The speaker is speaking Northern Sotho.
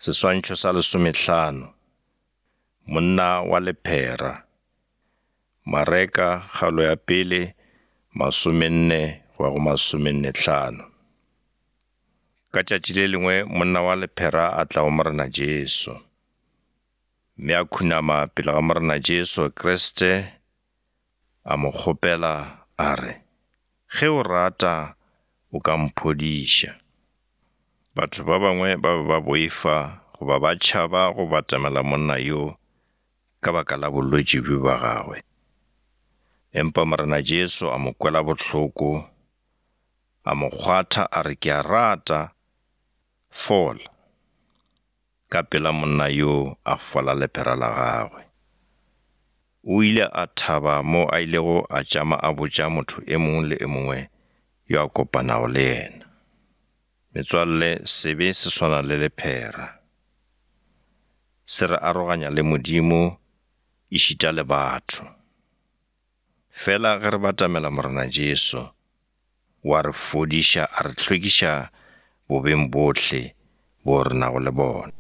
Seswantšho sa lesomehlano. Monna wa lephera. Mareka kgaolo ya pele masomenne go ya go masomennehlano. Ka tšatši le lengwe monna wa lephera a tla go Morena Jesu. Mme a khunama pele ga Morena Jesu Kriste a mo kgopela a re, Ge o rata o ka mphodiša. Batho ba bangwe ba be ba boifa goba ba tšhaba go batamela monna yo ka baka la bolwetši bjo bja gagwe. Empa Morena Jesu a mo kwela bohloko, a mo kgwatha a re, Ke a rata, fola. Ka pela monna yoo a fola lephera la gagwe. O ile a thaba mo a ilego a tšama a botša motho e mongwe le e mongwe yo a kopanago le yena. Metswalle, sebe se swana le lephera. Se re aroganya le Modimo ešita le batho. Fela ge re batamela Morena Jesu, o a re fodiša a re hlwekiša bobeng bohle bo re nago le bona.